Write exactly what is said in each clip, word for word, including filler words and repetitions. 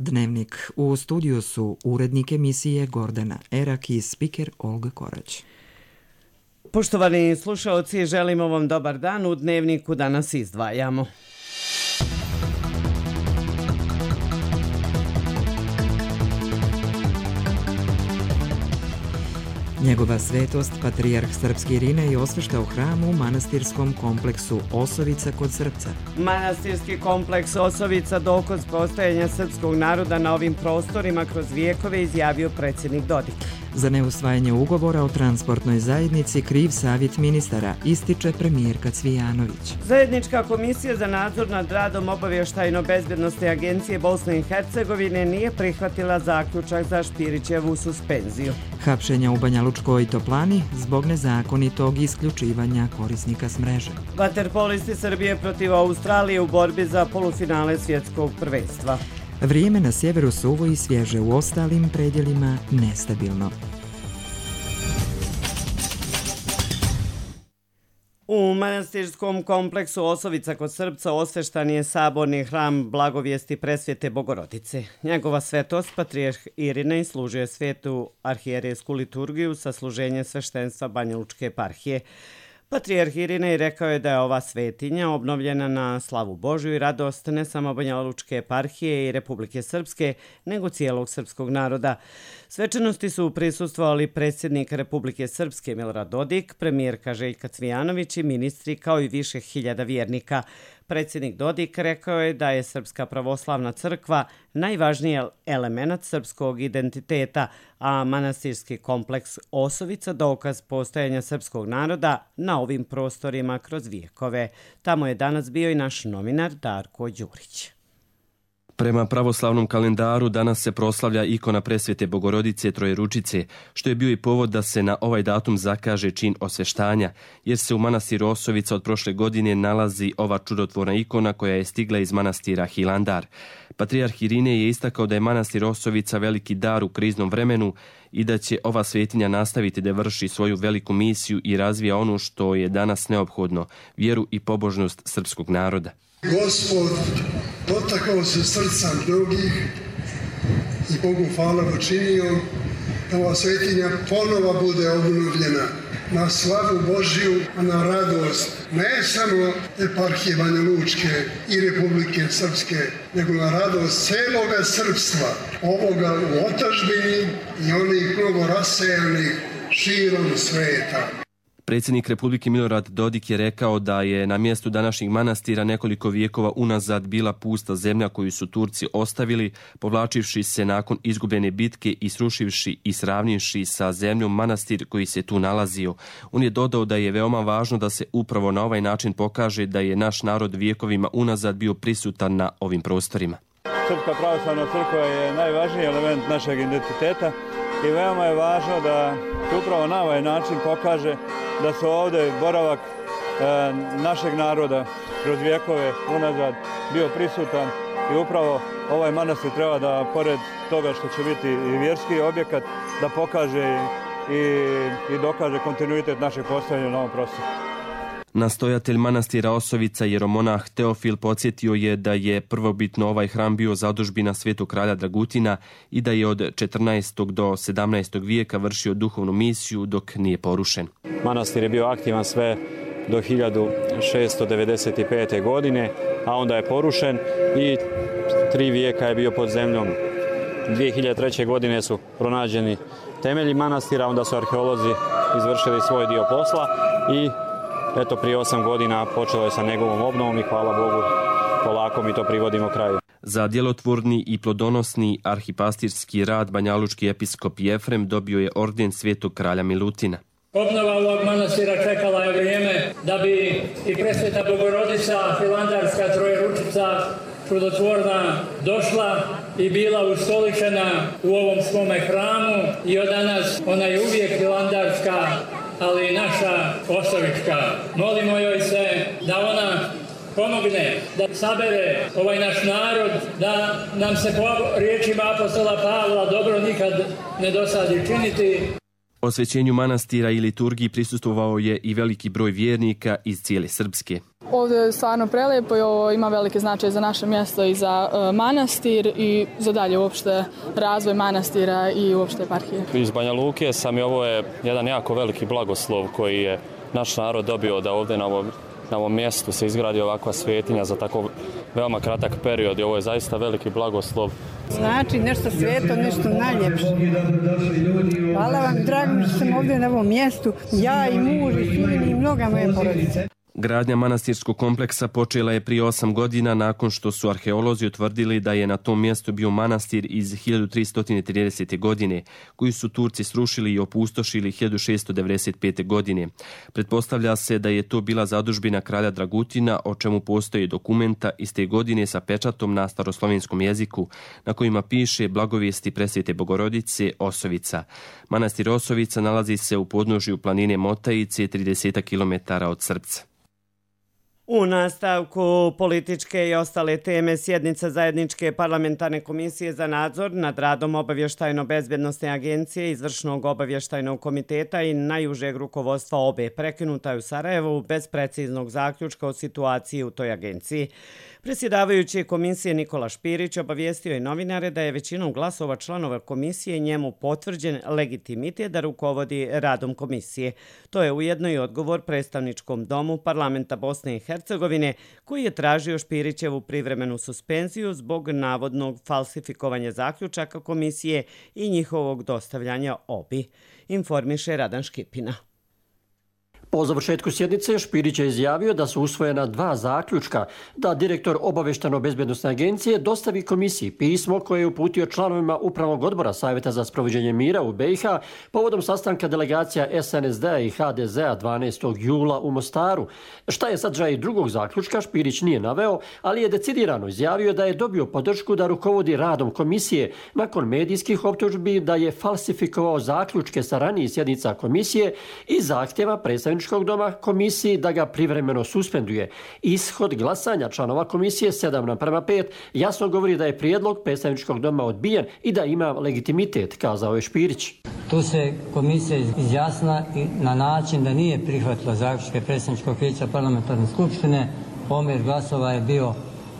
Dnevnik. U studiju su urednik emisije Gordana Erak i spiker Olga Korać. Poštovani slušalci, želimo vam dobar dan. U Dnevniku danas izdvajamo. Njegova svetost, patrijarh srpski Irinej, osvešta u hramu u manastirskom kompleksu Osovica kod Srpca. Manastirski kompleks Osovica dokaz postojanja srpskog naroda na ovim prostorima kroz vijekove, izjavio predsjednik Dodik. Za neusvajanje ugovora o transportnoj zajednici kriv savjet ministara, ističe premijerka Cvijanović. Zajednička komisija za nadzor nad radom Obavještajno-bezbjednosne agencije Bosne i Hercegovine nije prihvatila zaključak za Špirićevu suspenziju. Hapšenja u Banja Lučkoj Toplani zbog nezakonitog isključivanja korisnika s mreže. Vaterpolisti Srbije protiv Australije u borbi za polufinale svjetskog prvenstva. Vrijeme na sjeveru suvo i svježe, u ostalim predjelima nestabilno. U manastirskom kompleksu Osovica kod Srpca osveštan je saborni hram Blagovijesti Presvete Bogorodice. Njegova svetost, patrijarh Irinej, služio je svetu arhijerejsku liturgiju sa služenjem sveštenstva Banja Lučke eparhije. Patrijarh Irinej rekao je da je ova svetinja obnovljena na slavu Božju i radost ne samo Banja Lučke eparhije i Republike Srpske, nego cijelog srpskog naroda. Svečanosti su prisustvovali predsjednik Republike Srpske Milorad Dodik, premijerka Željka Cvijanović i ministri, kao i više hiljada vjernika. Predsjednik Dodik rekao je da je Srpska pravoslavna crkva najvažniji element srpskog identiteta, a manastirski kompleks Osovica dokaz postojanja srpskog naroda na ovim prostorima kroz vijekove. Tamo je danas bio i naš novinar Darko Đurić. Prema pravoslavnom kalendaru danas se proslavlja ikona Presvete Bogorodice Trojeručice, što je bio i povod da se na ovaj datum zakaže čin osveštanja, jer se u manastiru Osovica od prošle godine nalazi ova čudotvorna ikona koja je stigla iz manastira Hilandar. Patrijarh Irinej je istakao da je manastir Osovica veliki dar u kriznom vremenu i da će ova svetinja nastaviti da vrši svoju veliku misiju i razvija ono što je danas neophodno, vjeru i pobožnost srpskog naroda. Gospod dotakao se srca mnogih i Bogu hvala učinio da ova svetinja ponova bude obnovljena na slavu Božju, a na radost ne samo eparhije Banja Lučke i Republike Srpske, nego na radost celoga srpstva, ovoga u otadžbini i onih mnogo rasejanih širom sveta. Predsjednik Republike Milorad Dodik je rekao da je na mjestu današnjih manastira nekoliko vijekova unazad bila pusta zemlja koju su Turci ostavili, povlačivši se nakon izgubljene bitke i srušivši i sravnivši sa zemljom manastir koji se tu nalazio. On je dodao da je veoma važno da se upravo na ovaj način pokaže da je naš narod vijekovima unazad bio prisutan na ovim prostorima. Srpska pravoslavna crkva je najvažniji element našeg identiteta i veoma je važno da se upravo na ovaj način pokaže da su ovdje boravak e, našeg naroda kroz vijekove unazad bio prisutan i upravo ovaj manastir treba da, pored toga što će biti i vjerski objekat, da pokaže i, i dokaže kontinuitet našeg postojanja na ovom prostoru. Nastojatelj manastira Osovica, jeromonah Teofil, podsjetio je da je prvobitno ovaj hram bio zadužbina svetog kralja Dragutina i da je od četrnaestog do sedamnaestog vijeka vršio duhovnu misiju dok nije porušen. Manastir je bio aktivan sve do hiljadu šesto devedeset pete. godine, a onda je porušen i tri vijeka je bio pod zemljom. dvije hiljade treće. godine su pronađeni temelji manastira, onda su arheolozi izvršili svoj dio posla i eto, prije osam godina počelo je sa njegovom obnovom i hvala Bogu, polako mi to privodimo kraju. Za djelotvorni i plodonosni arhipastirski rad banjalučki episkop Jefrem dobio je orden svetog kralja Milutina. Obnova ovog manastira čekala je vrijeme da bi i Presveta Bogorodica, Hilandarska Trojeručica, čudotvorna, došla i bila ustoličena u ovom svome hramu i od danas ona je uvijek hilandarska, ali i naša osovička. Molimo joj se da ona pomogne, da sabere ovaj naš narod, da nam se po riječima apostola Pavla dobro nikad ne dosadi činiti. Osvećenju manastira i liturgiji prisustvovao je i veliki broj vjernika iz cijele Srpske. Ovdje je stvarno prelijepo i ovo ima velike značaje za naše mjesto i za uh, manastir i za dalje uopšte razvoj manastira i uopšte eparhije. Iz Banja Luke sam i ovo je jedan jako veliki blagoslov koji je naš narod dobio da ovdje na ovom, na ovom mjestu se izgradi ovakva svetinja za tako veoma kratak period i ovo je zaista veliki blagoslov. Znači nešto sveto, nešto najljepše. Hvala vam, drago mi što sam ovdje na ovom mjestu, ja i muž i sin i mnoga moje porodice. Gradnja manastirskog kompleksa počela je prije osam godina nakon što su arheolozi utvrdili da je na tom mjestu bio manastir iz hiljadu tristo tridesete. godine, koji su Turci srušili i opustošili hiljadu šessto devedeset pete. godine. Pretpostavlja se da je to bila zadužbina kralja Dragutina, o čemu postoje dokumenta iz te godine sa pečatom na staroslovenskom jeziku, na kojima piše blagovijesti presvete Bogorodice Osovica. Manastir Osovica nalazi se u podnožju planine Motajice, trideset kilometara od Srpca. U nastavku političke i ostale teme sjednica zajedničke parlamentarne komisije za nadzor nad radom obavještajno-bezbjednosne agencije, izvršnog obavještajnog komiteta i najužeg rukovodstva obe prekinuta je u Sarajevu bez preciznog zaključka o situaciji u toj agenciji. Predsjedavajući komisije Nikola Špirić obavijestio je novinare da je većinom glasova članova komisije njemu potvrđen legitimitet da rukovodi radom komisije. To je ujedno i odgovor predstavničkom domu parlamenta Bosne i Hercegovine, koji je tražio Špirićevu privremenu suspenziju zbog navodnog falsifikovanja zaključaka komisije i njihovog dostavljanja obi, informiše Radan Škipina. Po završetku sjednice Špirić je izjavio da su usvojena dva zaključka, da direktor obavještajno-bezbjednosne agencije dostavi komisiji pismo koje je uputio članovima Upravnog odbora Savjeta za sprovođenje mira u B i H povodom sastanka delegacija S N S D-a i H D Z-a dvanaestog jula u Mostaru. Šta je sadržaj drugog zaključka, Špirić nije naveo, ali je decidirano izjavio da je dobio podršku da rukovodi radom komisije nakon medijskih optužbi da je falsifikovao zaključke sa ranijih sjednica komisije i zahtjeva predstavničkog doma komisiji da ga privremeno suspenduje. Ishod glasanja članova komisije sedam naprema pet jasno govori da je prijedlog predstavničkog doma odbijen i da ima legitimitet, kazao je Špirić. Tu se komisija izjasna na način da nije prihvatila zaključke predstavničkog vijeća parlamentarne skupštine. Omjer glasova je bio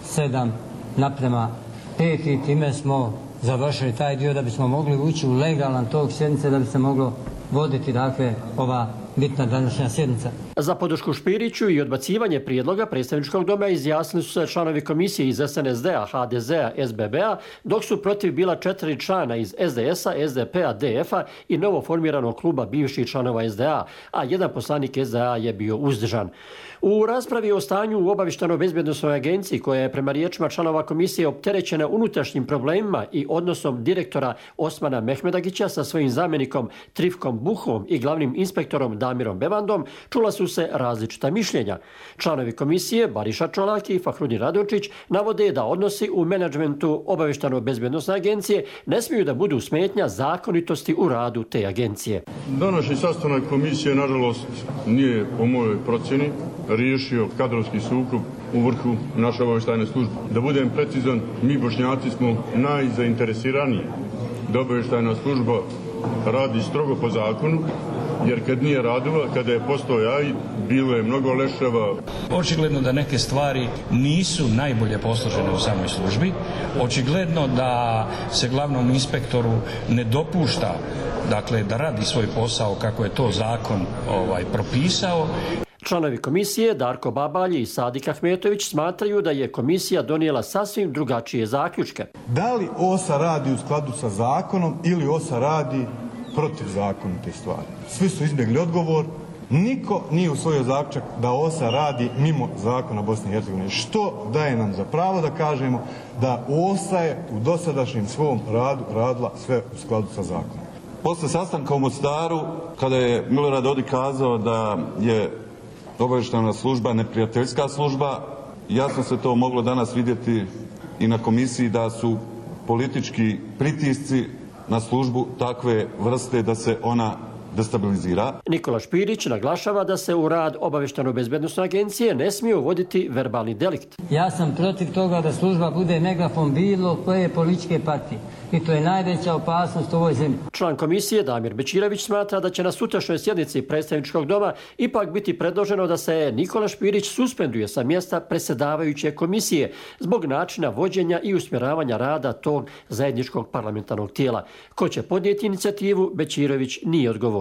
sedam naprema pet i time smo završili taj dio da bismo mogli ući u legalan tok sjednice, da bi se moglo voditi dakle ova bitna današnja sjednica. Za podršku Špiriću i odbacivanje prijedloga predstavničkog doma izjasnili su se članovi komisije iz S N S D-a, H D Z-a, S B B-a, dok su protiv bila četiri člana iz S D S-a, S D P-a, D F-a i novo formiranog kluba bivših članova S D A, a jedan poslanik S D A je bio uzdržan. U raspravi o stanju u obavještajno-bezbjednosnoj agenciji, koja je prema riječima članova komisije opterećena unutrašnjim problemima i odnosom direktora Osmana Mehmedagića sa svojim zamjenikom Trifkom Buhom i glavnim inspektorom Damirom Bevandom, čula su se različita mišljenja. Članovi komisije Bariša Čolak i Fahrudin Radončić navode da odnosi u menadžmentu obavještajno-bezbjednosne agencije ne smiju da budu smetnja zakonitosti u radu te agencije. Današnji sastanak komisije, nažalost, nije po mojoj procjeni riješio kadrovski sukob u vrhu naše obavještajne službe. Da budem precizan, mi Bošnjaci smo najzainteresiraniji da obavještajna služba radi strogo po zakonu, jer kad nije radila, kada je postao jaj, bilo je mnogo leševa. Očigledno da neke stvari nisu najbolje posložene u samoj službi. Očigledno da se glavnom inspektoru ne dopušta, dakle, da radi svoj posao kako je to zakon ovaj, propisao. Članovi komisije Darko Babalji i Sadik Ahmetović smatraju da je komisija donijela sasvim drugačije zaključke. Da li O S A radi u skladu sa zakonom ili O S A radi protiv zakonite stvari? Svi su izbjegli odgovor. Niko nije usvojio zaključak da O S A radi mimo zakona Bosne i Hercegovine. Što daje nam za pravo da kažemo da O S A je u dosadašnjem svom radu radila sve u skladu sa zakonom. Posle sastanka u Mostaru, kada je Milorad Dodik kazao da je obavještajna služba neprijateljska služba, jasno se to moglo danas vidjeti i na komisiji da su politički pritisci na službu takve vrste da se ona destabilizira. Nikola Špirić naglašava da se u rad obavještajno-bezbednosne agencije ne smije uvoditi verbalni delikt. Ja sam protiv toga da služba bude megafon bilo koje političke partije. I to je najveća opasnost u ovoj zemlji. Član komisije Damir Bečirović smatra da će na sutrašnjoj sjednici predstavničkog doma ipak biti predloženo da se Nikola Špirić suspenduje sa mjesta predsjedavajuće komisije zbog načina vođenja i usmjeravanja rada tog zajedničkog parlamentarnog tijela. Ko će podnijeti inicijativu, Bečirović nije odgovorio.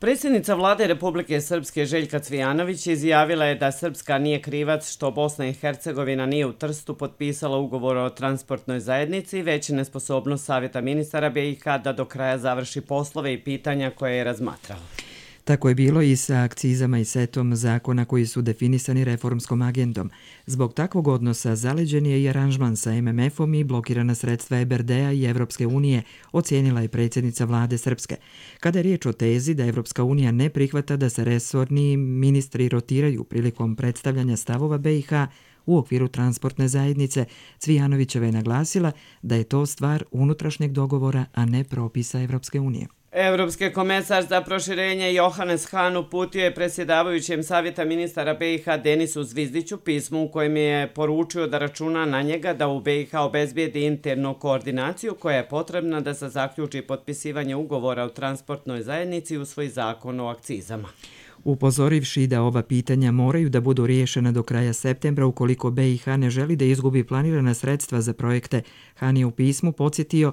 Predsjednica vlade Republike Srpske Željka Cvijanović izjavila je da Srpska nije krivac što Bosna i Hercegovina nije u Trstu potpisala ugovor o transportnoj zajednici, već nesposobnost Savjeta ministara B i H da do kraja završi poslove i pitanja koje je razmatrao. Tako je bilo i sa akcizama i setom zakona koji su definisani reformskom agendom. Zbog takvog odnosa zaleđen je i aranžman sa M M F-om i blokirana sredstva E B R D-a i Evropske unije, ocijenila je predsjednica vlade Srpske. Kada je riječ o tezi da Evropska unija ne prihvata da se resorni ministri rotiraju prilikom predstavljanja stavova B i H u okviru transportne zajednice, Cvijanovićeva je naglasila da je to stvar unutrašnjeg dogovora, a ne propisa Evropske unije. Evropski komesar za proširenje Johannes Hahn uputio je predsjedavajućem Savjeta ministara B i H Denisu Zvizdiću pismo u kojem je poručio da računa na njega da u B i H obezbijedi internu koordinaciju koja je potrebna da se zaključi potpisivanje ugovora o transportnoj zajednici i usvoji zakon o akcizama. Upozorivši da ova pitanja moraju da budu riješena do kraja septembra ukoliko B i H ne želi da izgubi planirana sredstva za projekte, Hahn je u pismu podsjetio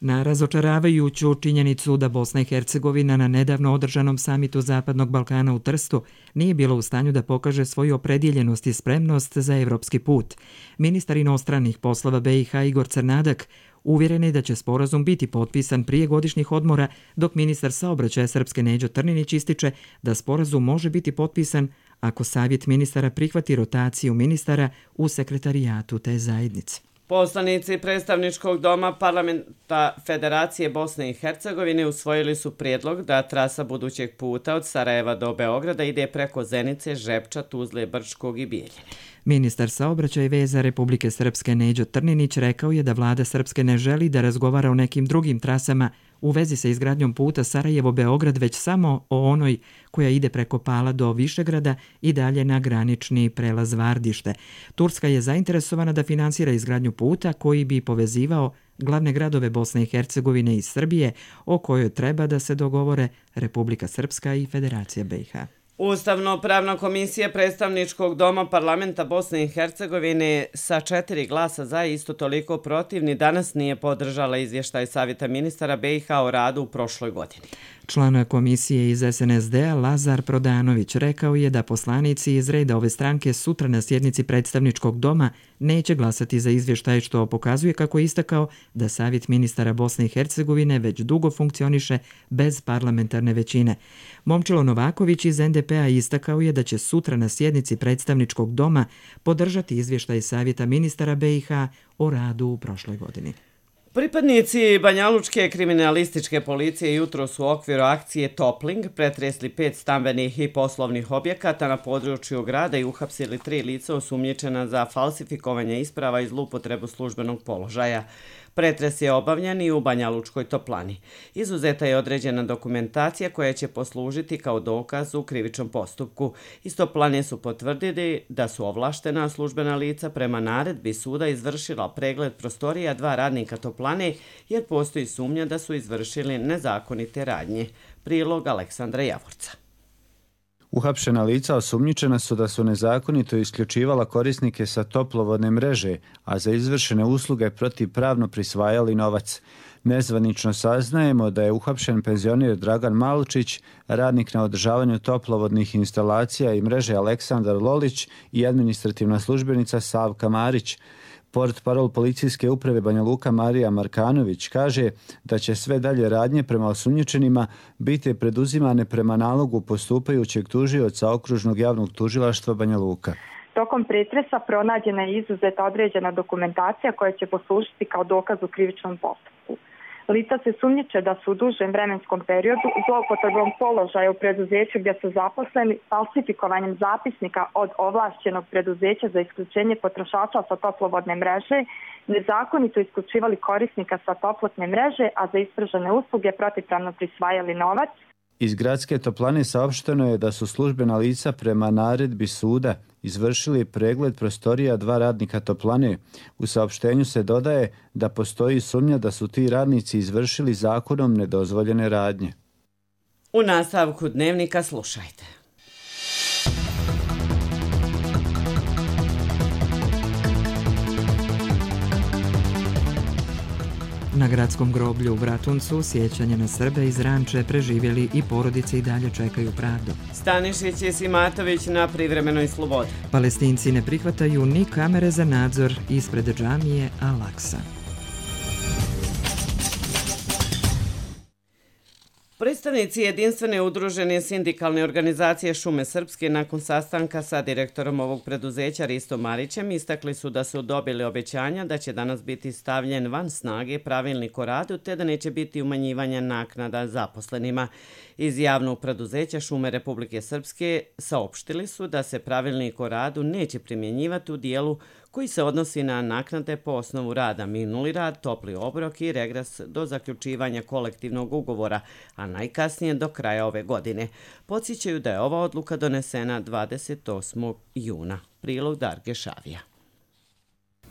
na razočaravajuću činjenicu da Bosna i Hercegovina na nedavno održanom samitu Zapadnog Balkana u Trstu nije bila u stanju da pokaže svoju opredjeljenost i spremnost za evropski put. Ministar inostranih poslova B i H Igor Crnadak uvjeren je da će sporazum biti potpisan prije godišnjih odmora, dok ministar saobraćaja Srpske Neđo Trninić ističe da sporazum može biti potpisan ako Savjet ministara prihvati rotaciju ministara u sekretarijatu te zajednice. Poslanici predstavničkog doma parlamenta Federacije Bosne i Hercegovine usvojili su prijedlog da trasa budućeg puta od Sarajeva do Beograda ide preko Zenice, Žepča, Tuzle, Brčkog i Bijeljine. Ministar saobraćaja i veza Republike Srpske Neđo Trninić rekao je da vlada Srpske ne želi da razgovara o nekim drugim trasama u vezi sa izgradnjom puta Sarajevo-Beograd, već samo o onoj koja ide preko Pala do Višegrada i dalje na granični prelaz Vardište. Turska je zainteresovana da finansira izgradnju puta koji bi povezivao glavne gradove Bosne i Hercegovine i Srbije, o kojoj treba da se dogovore Republika Srpska i Federacija B i H. Ustavno-pravna komisija predstavničkog doma parlamenta Bosne i Hercegovine sa četiri glasa za i isto toliko protivni danas nije podržala izvještaj Savjeta ministara B i H o radu u prošloj godini. Član komisije iz S N S D-a Lazar Prodanović rekao je da poslanici iz reda ove stranke sutra na sjednici predstavničkog doma neće glasati za izvještaj, što pokazuje, kako je istakao, da Savjet ministara Bosne i Hercegovine već dugo funkcioniše bez parlamentarne većine. Momčilo Novaković iz N D P-a istakao je da će sutra na sjednici predstavničkog doma podržati izvještaj Savjeta ministara B i H o radu u prošloj godini. Pripadnici Banjalučke kriminalističke policije jutro su u okviru akcije Topling pretresli pet stambenih i poslovnih objekata na području grada i uhapsili tri lica osumnjičena za falsifikovanje isprava i zloupotrebu službenog položaja. Pretres je obavljen i u Banjalučkoj toplani. Izuzeta je određena dokumentacija koja će poslužiti kao dokaz u krivičnom postupku. Iz toplane su potvrdili da su ovlaštena službena lica prema naredbi suda izvršila pregled prostorija dva radnika toplane, jer postoji sumnja da su izvršili nezakonite radnje. Prilog Aleksandra Javorca. Uhapšena lica osumnjičena su da su nezakonito isključivala korisnike sa toplovodne mreže, a za izvršene usluge protivpravno prisvajali novac. Nezvanično saznajemo da je uhapšen penzioner Dragan Malčić, radnik na održavanju toplovodnih instalacija i mreže Aleksandar Lolić i administrativna službenica Savka Marić. Portparol policijske uprave Banja Luka Marija Markanović kaže da će sve dalje radnje prema osumnjičenima biti preduzimane prema nalogu postupajućeg tužioca Okružnog javnog tužilaštva Banja Luka. Tokom pretresa pronađena je izuzeta određena dokumentacija koja će poslužiti kao dokaz u krivičnom postupku. Lica se sumnjiče da su u dužem vremenskom periodu zloupotrebom položaja u preduzeću gdje su zaposleni, falsifikovanjem zapisnika od ovlašćenog preduzeća za isključenje potrošača sa toplovodne mreže, nezakonito isključivali korisnika sa toplotne mreže, a za ispržene usluge protivpravno prisvajali novac. Iz gradske toplane saopšteno je da su službena lica prema naredbi suda izvršili pregled prostorija dva radnika toplane. U saopštenju se dodaje da postoji sumnja da su ti radnici izvršili zakonom nedozvoljene radnje. U nastavku dnevnika slušajte. Na gradskom groblju u Bratuncu sjećanje na Srbe iz Ranče preživjeli i porodice i dalje čekaju pravdu. Stanišić i Simatović na privremenoj slobodi. Palestinci ne prihvataju ni kamere za nadzor ispred džamije Al-Aksa. Predstavnici jedinstvene udružene sindikalne organizacije Šume Srpske nakon sastanka sa direktorom ovog preduzeća Ristom Marićem istakli su da su dobili obećanja da će danas biti stavljen van snage pravilnik o radu te da neće biti umanjivanja naknada zaposlenima. Iz javnog preduzeća Šume Republike Srpske saopštili su da se pravilnik o radu neće primjenjivati u dijelu koji se odnosi na naknade po osnovu rada, minuli rad, topli obrok i regres do zaključivanja kolektivnog ugovora, a najkasnije do kraja ove godine. Podsjećaju da je ova odluka donesena dvadeset osmog juna. Prilog Darge Šavija.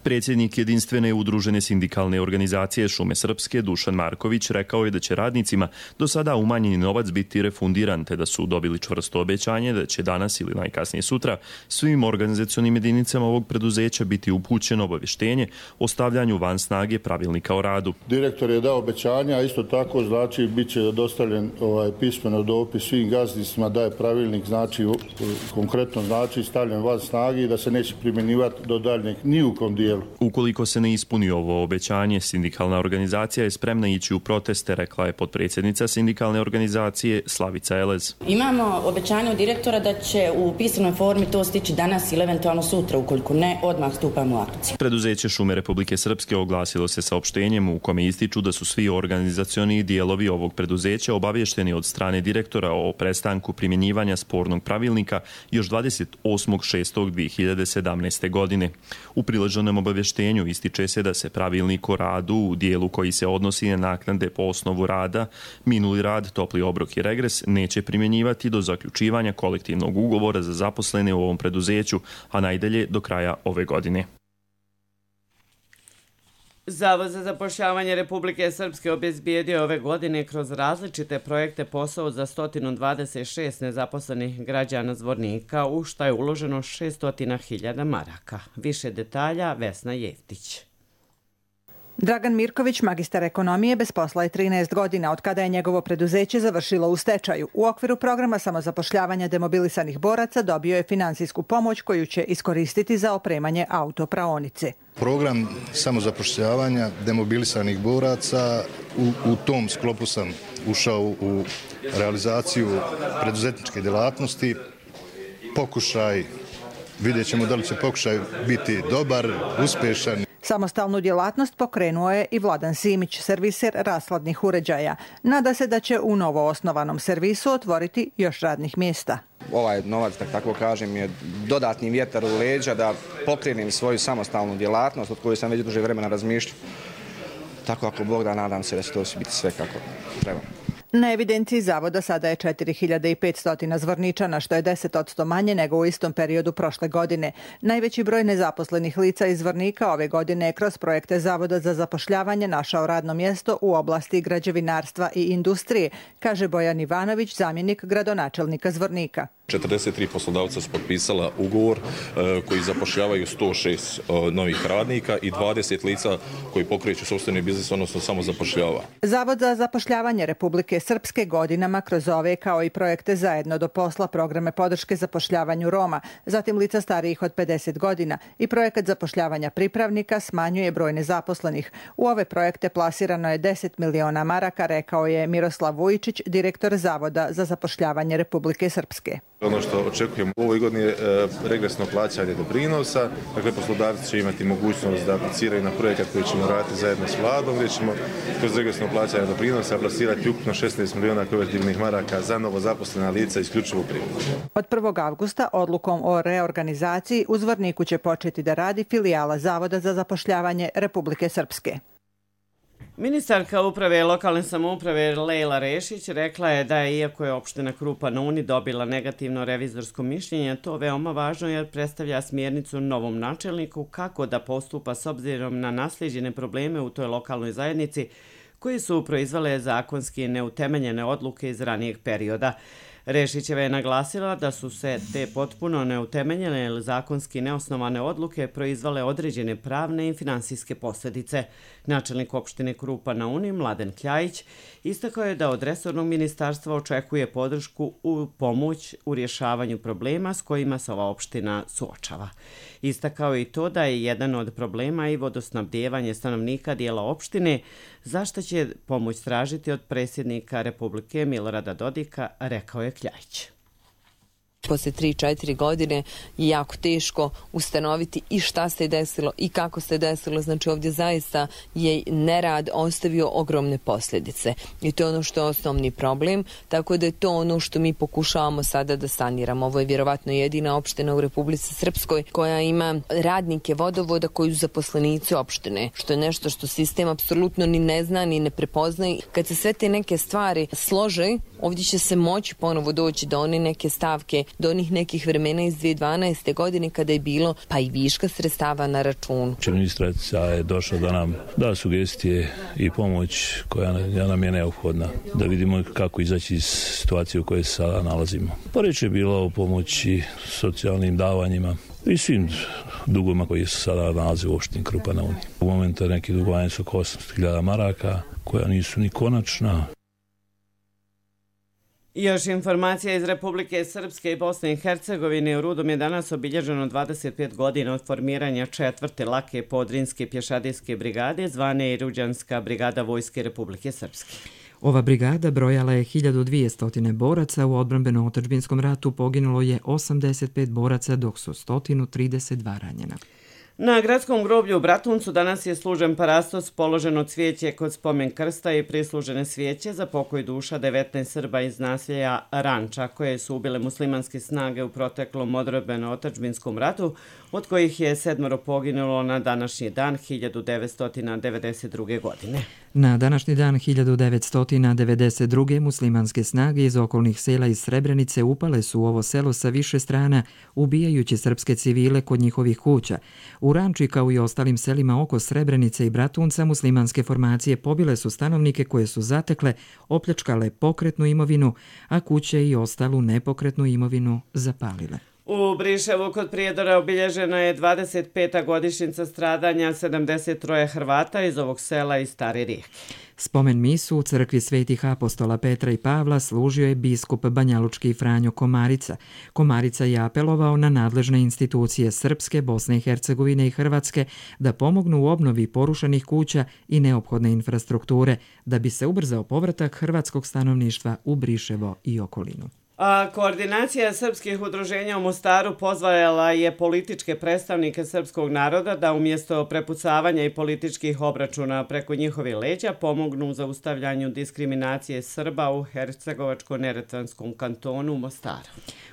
Predsjednik jedinstvene udružene sindikalne organizacije Šume Srpske Dušan Marković rekao je da će radnicima do sada umanjeni novac biti refundiran, te da su dobili čvrsto obećanje da će danas ili najkasnije sutra svim organizacionim jedinicama ovog preduzeća biti upućeno obavještenje o stavljanju van snage pravilnika o radu. Direktor je dao obećanja, a isto tako znači bit će dostavljen ovaj pismeno dopis svim gazdinstvima da je pravilnik znači konkretno znači stavljen van snage i da se neće primjenjivati do daljnjeg ni u kom dijelu. Ukoliko se ne ispuni ovo obećanje, sindikalna organizacija je spremna ići u proteste, rekla je potpredsjednica sindikalne organizacije Slavica Elez. Imamo obećanje od direktora da će u pisanoj formi to stići danas ili eventualno sutra, ukoliko ne, odmah stupamo u akciju. Preduzeće Šume Republike Srpske oglasilo se saopštenjem u kome ističu da su svi organizacioni dijelovi ovog preduzeća obavješteni od strane direktora o prestanku primjenjivanja spornog pravilnika još dvadeset osmog šestog dvije hiljade sedamnaeste. godine. U priloženom obavještenju ističe se da se pravilnik o radu u dijelu koji se odnosi na naknade po osnovu rada, minuli rad, topli obrok i regres neće primjenjivati do zaključivanja kolektivnog ugovora za zaposlene u ovom preduzeću, a najdalje do kraja ove godine. Zavod za zapošljavanje Republike Srpske obezbijedio ove godine kroz različite projekte posao za sto dvadeset šest nezaposlenih građana Zvornika, u šta je uloženo šesto hiljada maraka. Više detalja Vesna Jeftić. Dragan Mirković, magistar ekonomije, bez posla je trinaest godina od kada je njegovo preduzeće završilo u stečaju. U okviru programa samozapošljavanja demobilisanih boraca dobio je finansijsku pomoć koju će iskoristiti za opremanje autopraonice. Program samozapošljavanja demobilisanih boraca, u, u tom sklopu sam ušao u realizaciju preduzetničke djelatnosti. Pokušaj, vidjet ćemo da li će pokušaj biti dobar, uspješan. Samostalnu djelatnost pokrenuo je i Vladan Simić, serviser rashladnih uređaja. Nada se da će u novo osnovanom servisu otvoriti još radnih mjesta. Ovaj novac, da tako kažem, je dodatni vjetar u leđa da pokrenem svoju samostalnu djelatnost od koju sam već duže vremena razmišljao. Tako ako Bog da, nadam se da će to biti sve kako treba. Na evidenciji zavoda sada je četiri hiljade petsto Zvorničana, što je deset posto manje nego u istom periodu prošle godine. Najveći broj nezaposlenih lica iz Zvornika ove godine je kroz projekte Zavoda za zapošljavanje našao radno mjesto u oblasti građevinarstva i industrije, kaže Bojan Ivanović, zamjenik gradonačelnika Zvornika. četrdeset tri poslodavca su potpisala ugovor koji zapošljavaju sto šest novih radnika i dvadeset lica koji pokreću sopstveni biznis, odnosno samo zapošljava. Zavod za zapošljavanje Republike Srpske godinama kroz ove kao i projekte Zajedno do posla, programe podrške zapošljavanju Roma, zatim lica starijih od pedeset godina i projekat zapošljavanja pripravnika smanjuje broj nezaposlenih. U ove projekte plasirano je deset miliona maraka, rekao je Miroslav Vujičić, direktor Zavoda za zapošljavanje Republike Srpske. Ono što očekujemo u ovoj godini je regresno plaćanje doprinosa, dakle poslodavci će imati mogućnost da apliciraju na projekat koji ćemo raditi zajedno s vladom, gdje ćemo kroz regresno plaćanje doprinosa plasirati ukupno šesnaest milijuna konvertibilnih maraka za novo zaposlena lica isključivo u privredu. Od prvog avgusta odlukom o reorganizaciji u Zvorniku će početi da radi filijala Zavoda za zapošljavanje Republike Srpske. Ministarka uprave i lokalne samouprave Lejla Rešić rekla je da je, iako je opština Krupa na Uni dobila negativno revizorsko mišljenje, to veoma važno jer predstavlja smjernicu novom načelniku kako da postupa s obzirom na naslijeđene probleme u toj lokalnoj zajednici koji su proizvale zakonski neutemeljene odluke iz ranijeg perioda. Rešićeva je naglasila da su se te potpuno neutemeljene ili zakonski neosnovane odluke proizvale određene pravne i finansijske posljedice. Načelnik opštine Krupa na Uni, Mladen Kljajić, istakao je da od resornog ministarstva očekuje podršku u pomoć u rješavanju problema s kojima se ova opština suočava. Istakao je i to da je jedan od problema i vodosnabdijevanje stanovnika dijela opštine, zašto će pomoć tražiti od predsjednika Republike Milorada Dodika, rekao je Kljajić. Poslije tri četiri godine je jako teško ustanoviti i šta se desilo i kako se desilo. Znači ovdje zaista je nerad ostavio ogromne posljedice. I to je ono što je osnovni problem, tako da je to ono što mi pokušavamo sada da saniramo. Ovo je vjerovatno jedina opština u Republici Srpskoj koja ima radnike vodovoda koji su zaposlenici opštine, što je nešto što sistem apsolutno ni ne zna ni ne prepoznaje. Kad se sve te neke stvari slože, ovdje će se moći ponovo doći do one neke stavke, do onih nekih vremena iz dvije tisuće dvanaeste. godine kada je bilo pa i viška sredstava na računu. Ministrica je došla da nam da sugestije i pomoć koja nam je neophodna, da vidimo kako izaći iz situacije u kojoj se sada nalazimo. Pa reč je bilo o pomoći socijalnim davanjima i svim dugovima koji se sada nalaze u opštini Krupa na Uni. U momentu neki dugovanja su oko osamsto hiljada maraka koja nisu ni konačna. Još informacija iz Republike Srpske i Bosne i Hercegovine. U Rudom je danas obilježeno dvadeset pet godina od formiranja četvrte lake podrinske pješadijske brigade, zvane i Ruđanska brigada Vojske Republike Srpske. Ova brigada brojala je hiljadu dvjesto boraca, u odbrambeno-otadžbinskom ratu poginulo je osamdeset pet boraca, dok su sto trideset dva ranjena. Na gradskom groblju u Bratuncu danas je služen parastos, položeno cvijeće kod spomen krsta i prislužene svijeće za pokoj duša devetnaest Srba iz naselja Ranča, koje su ubile muslimanske snage u proteklom odbrambeno-otadžbinskom ratu, od kojih je sedmoro poginulo na današnji dan hiljadu devetsto devedeset druge. godine. Na današnji dan hiljadu devetsto devedeset druge. muslimanske snage iz okolnih sela iz Srebrenice upale su u ovo selo sa više strana, ubijajući srpske civile kod njihovih kuća. U Ranči, kao i ostalim selima oko Srebrenice i Bratunca, muslimanske formacije pobile su stanovnike koje su zatekle, opljačkale pokretnu imovinu, a kuće i ostalu nepokretnu imovinu zapalile. U Briševu kod Prijedora obilježena je dvadeset peta godišnjica stradanja sedamdeset tri Hrvata iz ovog sela i Stare Rijeke. Spomen misu u crkvi svetih apostola Petra i Pavla služio je biskup banjalučki Franjo Komarica. Komarica je apelovao na nadležne institucije Srpske, Bosne i Hercegovine i Hrvatske da pomognu u obnovi porušenih kuća i neophodne infrastrukture, da bi se ubrzao povratak hrvatskog stanovništva u Briševo i okolinu. A koordinacija srpskih udruženja u Mostaru pozvala je političke predstavnike srpskog naroda da umjesto prepucavanja i političkih obračuna preko njihovih leđa pomognu u zaustavljanju diskriminacije Srba u Hercegovačko-neretvanskom kantonu u Mostaru.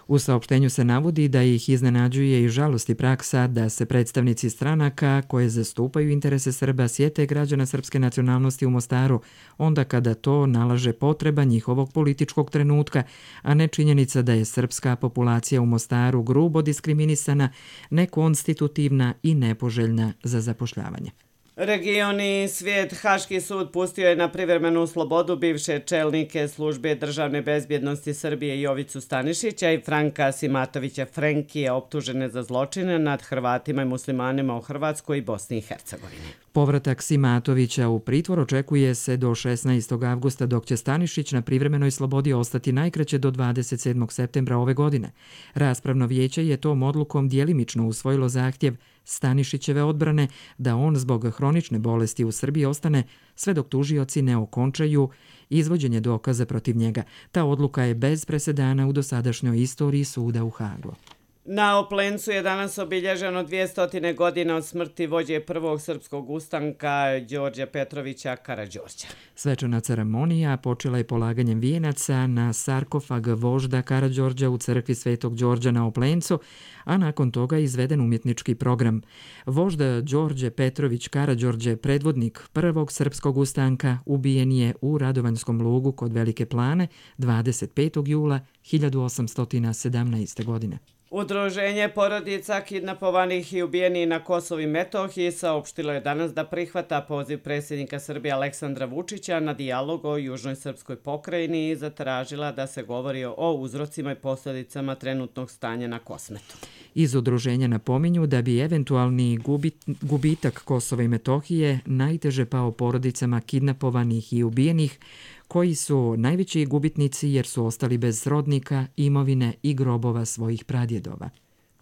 U saopštenju se navodi da ih iznenađuje i žalosti praksa da se predstavnici stranaka koje zastupaju interese Srba sjete građana srpske nacionalnosti u Mostaru, onda kada to nalaže potreba njihovog političkog trenutka, a ne činjenica da je srpska populacija u Mostaru grubo diskriminisana, nekonstitutivna i nepoželjna za zapošljavanje. Regioni svijet, Haški sud pustio je na privremenu slobodu bivše čelnike službe državne bezbjednosti Srbije Jovicu Stanišića i Franka Simatovića Frenkije, optužene za zločine nad Hrvatima i muslimanima u Hrvatskoj i Bosni i Hercegovini. Povratak Simatovića u pritvor očekuje se do šesnaestog avgusta, dok će Stanišić na privremenoj slobodi ostati najkraće do dvadeset sedmog septembra ove godine. Raspravno vijeće je tom odlukom djelimično usvojilo zahtjev Stanišićeve odbrane da on zbog hronične bolesti u Srbiji ostane sve dok tužioci ne okončaju izvođenje dokaza protiv njega. Ta odluka je bez presedana u dosadašnjoj istoriji suda u Hagu. Na Oplencu je danas obilježeno dvjesto godina od smrti vođe prvog srpskog ustanka Đorđa Petrovića Karađorđa. Svečana ceremonija počela je polaganjem vijenaca na sarkofag vožda Karađorđa u crkvi Svetog Đorđa na Oplencu, a nakon toga je izveden umjetnički program. Vožda Đorđe Petrović Karađorđe, predvodnik prvog srpskog ustanka, ubijen je u Radovanjskom lugu kod Velike Plane dvadeset petog jula hiljadu osamsto sedamnaeste. godine. Udruženje porodica kidnapovanih i ubijenih na Kosovu i Metohiji saopštilo je danas da prihvata poziv predsjednika Srbije Aleksandra Vučića na dijalog o južnoj srpskoj pokrajini i zatražila da se govori o uzrocima i posljedicama trenutnog stanja na Kosmetu. Iz udruženja napominju da bi eventualni gubit, gubitak Kosova i Metohije najteže pao porodicama kidnapovanih i ubijenih, koji su najveći gubitnici jer su ostali bez srodnika, imovine i grobova svojih pradjedova.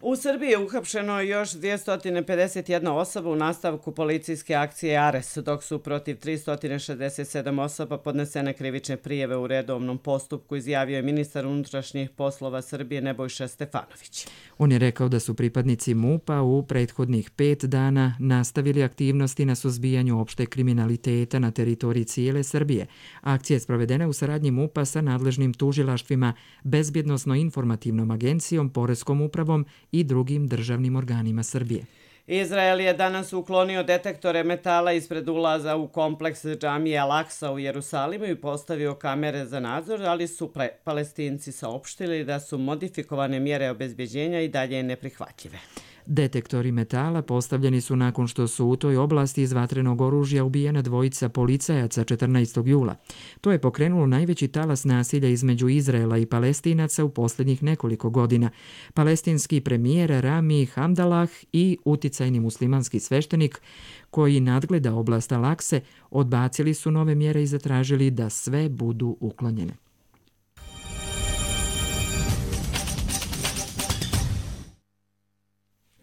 U Srbiji je uhapšeno još dvjesto pedeset jedna osoba u nastavku policijske akcije Ares, dok su protiv tristo šezdeset sedam osoba podnesene krivične prijeve u redovnom postupku, izjavio je ministar unutrašnjih poslova Srbije Nebojša Stefanović. On je rekao da su pripadnici MUP-a u prethodnih pet dana nastavili aktivnosti na suzbijanju opšte kriminaliteta na teritoriji cijele Srbije. Akcija je sprovedena u saradnji MUP-a sa nadležnim tužilaštvima, Bezbjednosno-informativnom agencijom, Poreskom upravom i drugim državnim organima Srbije. Izrael je danas uklonio detektore metala ispred ulaza u kompleks džamije Al-Aksa u Jerusalimu i postavio kamere za nadzor, ali su Palestinci saopštili da su modifikovane mjere obezbeđenja i dalje neprihvatljive. Detektori metala postavljeni su nakon što su u toj oblasti iz vatrenog oružja ubijena dvojica policajaca četrnaestog jula. To je pokrenulo najveći talas nasilja između Izraela i Palestinaca u posljednjih nekoliko godina. Palestinski premijer Rami Hamdalah i uticajni muslimanski sveštenik koji nadgleda oblast Al-Akse odbacili su nove mjere i zatražili da sve budu uklonjene.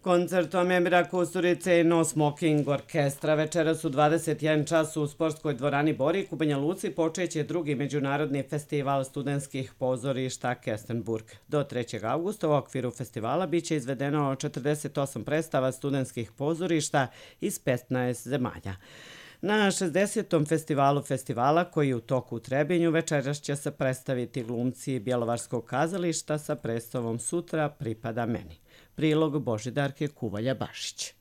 Koncertom Emira Kusturice i No Smoking orkestra večeras u dvadeset jedan čas u sportskoj dvorani Borik u Banja Luci počeće drugi međunarodni festival studentskih pozorišta Kestenburg. Do trećeg avgusta u okviru festivala biće izvedeno četrdeset osam predstava studentskih pozorišta iz petnaest zemalja. Na šezdesetom festivalu festivala, koji je u toku u Trebinju, večeras će se predstaviti glumci Bjelovarskog kazališta sa predstavom Sutra pripada meni. Prilog Božidarke Kuvalja-Bašić.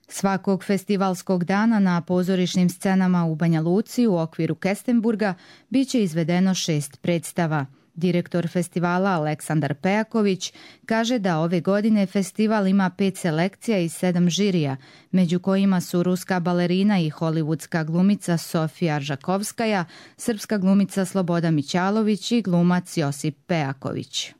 Svakog festivalskog dana na pozorišnim scenama u Banja Luci u okviru Kestenburga biće izvedeno šest predstava. Direktor festivala Aleksandar Pejaković kaže da ove godine festival ima pet selekcija i sedam žirija, među kojima su ruska balerina i hollywoodska glumica Sofija Aržakovskaja, srpska glumica Sloboda Mićalović i glumac Josip Pejaković.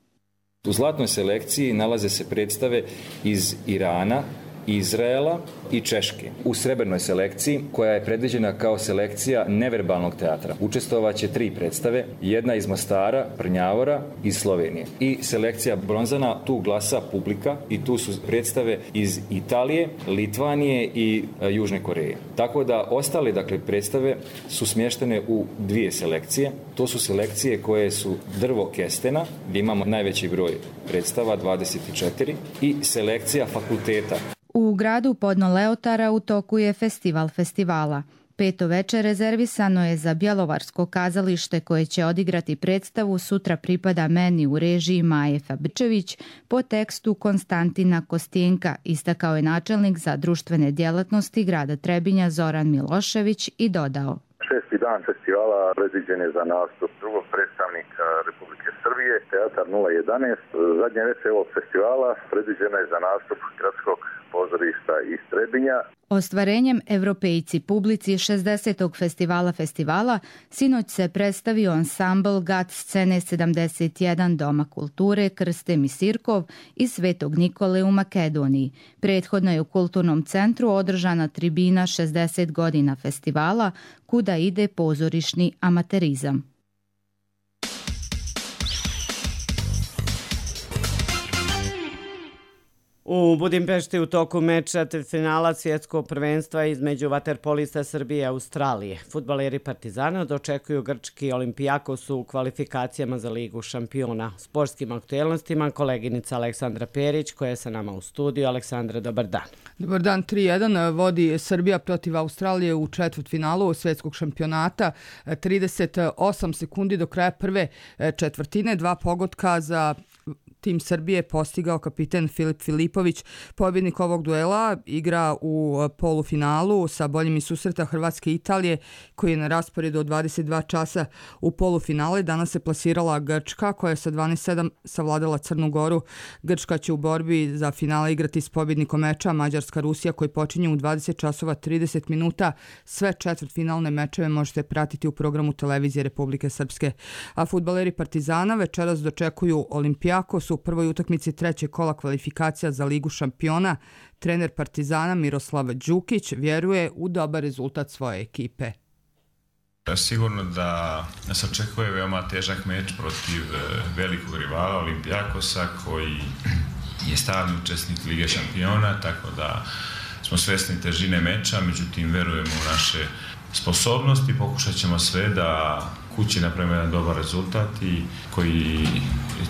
U zlatnoj selekciji nalaze se predstave iz Irana, Izraela i Češke. U srebrnoj selekciji, koja je predviđena kao selekcija neverbalnog teatra, učestvovaće tri predstave, jedna iz Mostara, Prnjavora i Slovenije. I selekcija bronzana, tu glasa publika i tu su predstave iz Italije, Litvanije i e, Južne Koreje. Tako da ostale dakle, predstave su smještene u dvije selekcije. To su selekcije koje su drvo kestena, gdje imamo najveći broj predstava, dvadeset četiri, i selekcija fakulteta. U gradu Podno Leotara u toku je festival festivala. Peto veče rezervisano je za Bjelovarsko kazalište koje će odigrati predstavu Sutra pripada meni u režiji Maje Fabrčević po tekstu Konstantina Kostjenka, istakao je načelnik za društvene djelatnosti grada Trebinja Zoran Milošević i dodao. Šesti dan festivala predviđen je za nastup drugog predstavnika Republike Srbije Srbije, Teatar nula jedanaest. Zadnje večer ovog festivala predviđena je za nastup Gradskog pozorišta iz Trebinja. Ostvarenjem Evropejci publici šezdesetog festivala festivala sinoć se predstavio ansambl Gat scene sedamdeset jedan Doma kulture Krstem i Sirkov iz Svetog Nikole u Makedoniji. Prethodno je u Kulturnom centru održana tribina šezdeset godina festivala kuda ide pozorišni amaterizam. U Budimpešti u toku meča finala svjetskog prvenstva između vaterpolista Srbije i Australije. Fudbaleri Partizana dočekuju grčki Olimpijakos u kvalifikacijama za Ligu šampiona. Sportskim aktuelnostima koleginica Aleksandra Perić koja je sa nama u studiju. Aleksandra, dobar dan. Dobar dan, tri jedan vodi Srbija protiv Australije u četvrtfinalu svjetskog šampionata. trideset osam sekundi do kraja prve četvrtine, dva pogotka za tim Srbije postigao kapiten Filip Filipović. Pobjednik ovog duela igra u polufinalu sa boljim iz susreta Hrvatske i Italije koji je na rasporedu od dvadeset dva časa u polufinale. Danas se plasirala Grčka koja je sa dvanaest sedam savladala Crnu Goru. Grčka će u borbi za finale igrati s pobjednikom meča Mađarska-Rusija koji počinje u dvadeset časova trideset minuta. Sve četvrtfinalne mečeve možete pratiti u programu televizije Republike Srpske. A fudbaleri Partizana večeras dočekuju Olimpijakos u prvoj utakmici trećeg kola kvalifikacija za Ligu šampiona. Trener Partizana Miroslav Đukić vjeruje u dobar rezultat svoje ekipe. Sigurno da nas očekuje veoma težak meč protiv velikog rivala Olimpijakosa koji je stalni učesnik Lige šampiona, tako da smo svesni težine meča, međutim verujemo u naše sposobnosti, pokušat ćemo sve da kući napravimo jedan dobar rezultat i koji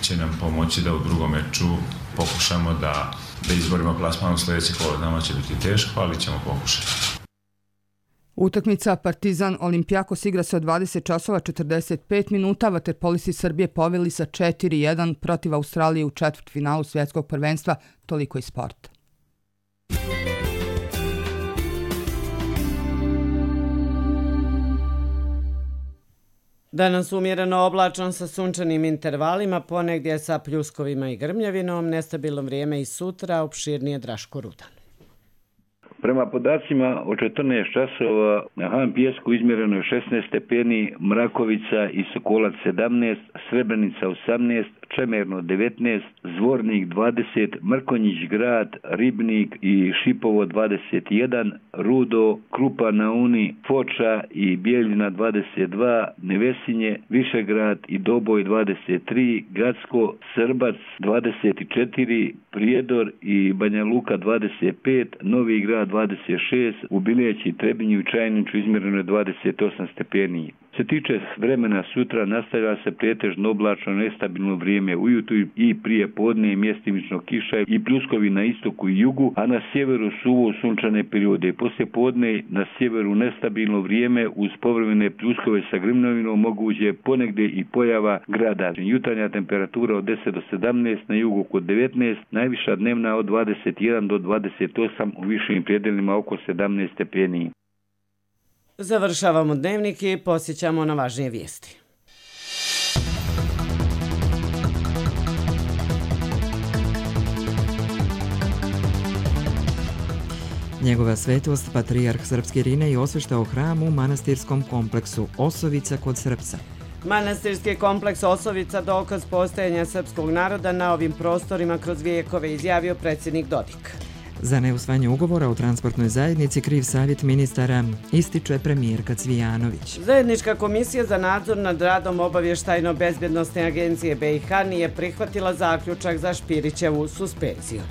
će nam pomoći da u drugom meču pokušamo da, da izborimo plasman u sljedeće kolo. Nama će biti teško, ali ćemo pokušati. Utakmica Partizan Olimpijakos igra se od dvadeset časova četrdeset pet minuta. Vaterpolisti Srbije poveli sa četiri jedan protiv Australije u četvrtfinalu svjetskog prvenstva. Toliko iz sporta. Danas umjereno oblačan sa sunčanim intervalima, ponegdje sa pljuskovima i grmljavinom, nestabilno vrijeme i sutra, opširnije Draško Rudan. Prema podacima od četrnaest časova na Han Pijesku izmjereno je šesnaest stepeni, Mrakovica i Sokolac sedamnaest, Srebrenica osamnaest, Čemerno devetnaest, Zvornik dvadeset, Mrkonjić grad, Ribnik i Šipovo dvadeset jedan, Rudo, Krupa na Uni, Foča i Bijeljina dvadeset dva, Nevesinje, Višegrad i Doboj dvadeset tri, Gacko, Srbac dvadeset četiri, Prijedor i Banja Luka dvadeset pet, Novi Grad dvadeset šest, u Bileći, Trebinju i Čajniću izmjereno je dvadeset osam stepeni. Se tiče vremena sutra, nastavlja se pretežno oblačno nestabilno vrijeme ujutru i prije podne mjestimično kiša i pljuskovi na istoku i jugu, a na sjeveru suvo sunčane periode. Poslije podne na sjeveru nestabilno vrijeme uz povremene pljuskove sa grmljavinom, moguće ponegdje i pojava grada. Jutarnja temperatura od deset do sedamnaest, na jugu oko devetnaest, najviša dnevna od dvadeset jedan do dvadeset osam, u višim predelima oko sedamnaest stepeni. Završavamo dnevnik i posjećamo na važnije vijesti. Njegova svetost, patrijarh srpski Irinej, osveštao hram u manastirskom kompleksu Osovica kod Srpca. Manastirski kompleks Osovica dokaz postojanja srpskog naroda na ovim prostorima kroz vijekove, izjavio predsjednik Dodik. Za neusvajanje ugovora o transportnoj zajednici kriv savjet ministara, ističe premijerka Cvijanović. Zajednička komisija za nadzor nad radom obavještajno-bezbjednosne agencije B i H nije prihvatila zaključak za Špirićevu suspenziju.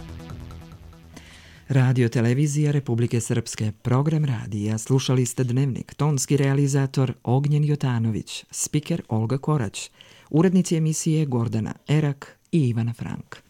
Radio televizija Republike Srpske, program radija, slušali ste Dnevnik, tonski realizator Ognjen Jotanović, spiker Olga Korać, urednici emisije Gordana Erak i Ivana Frank.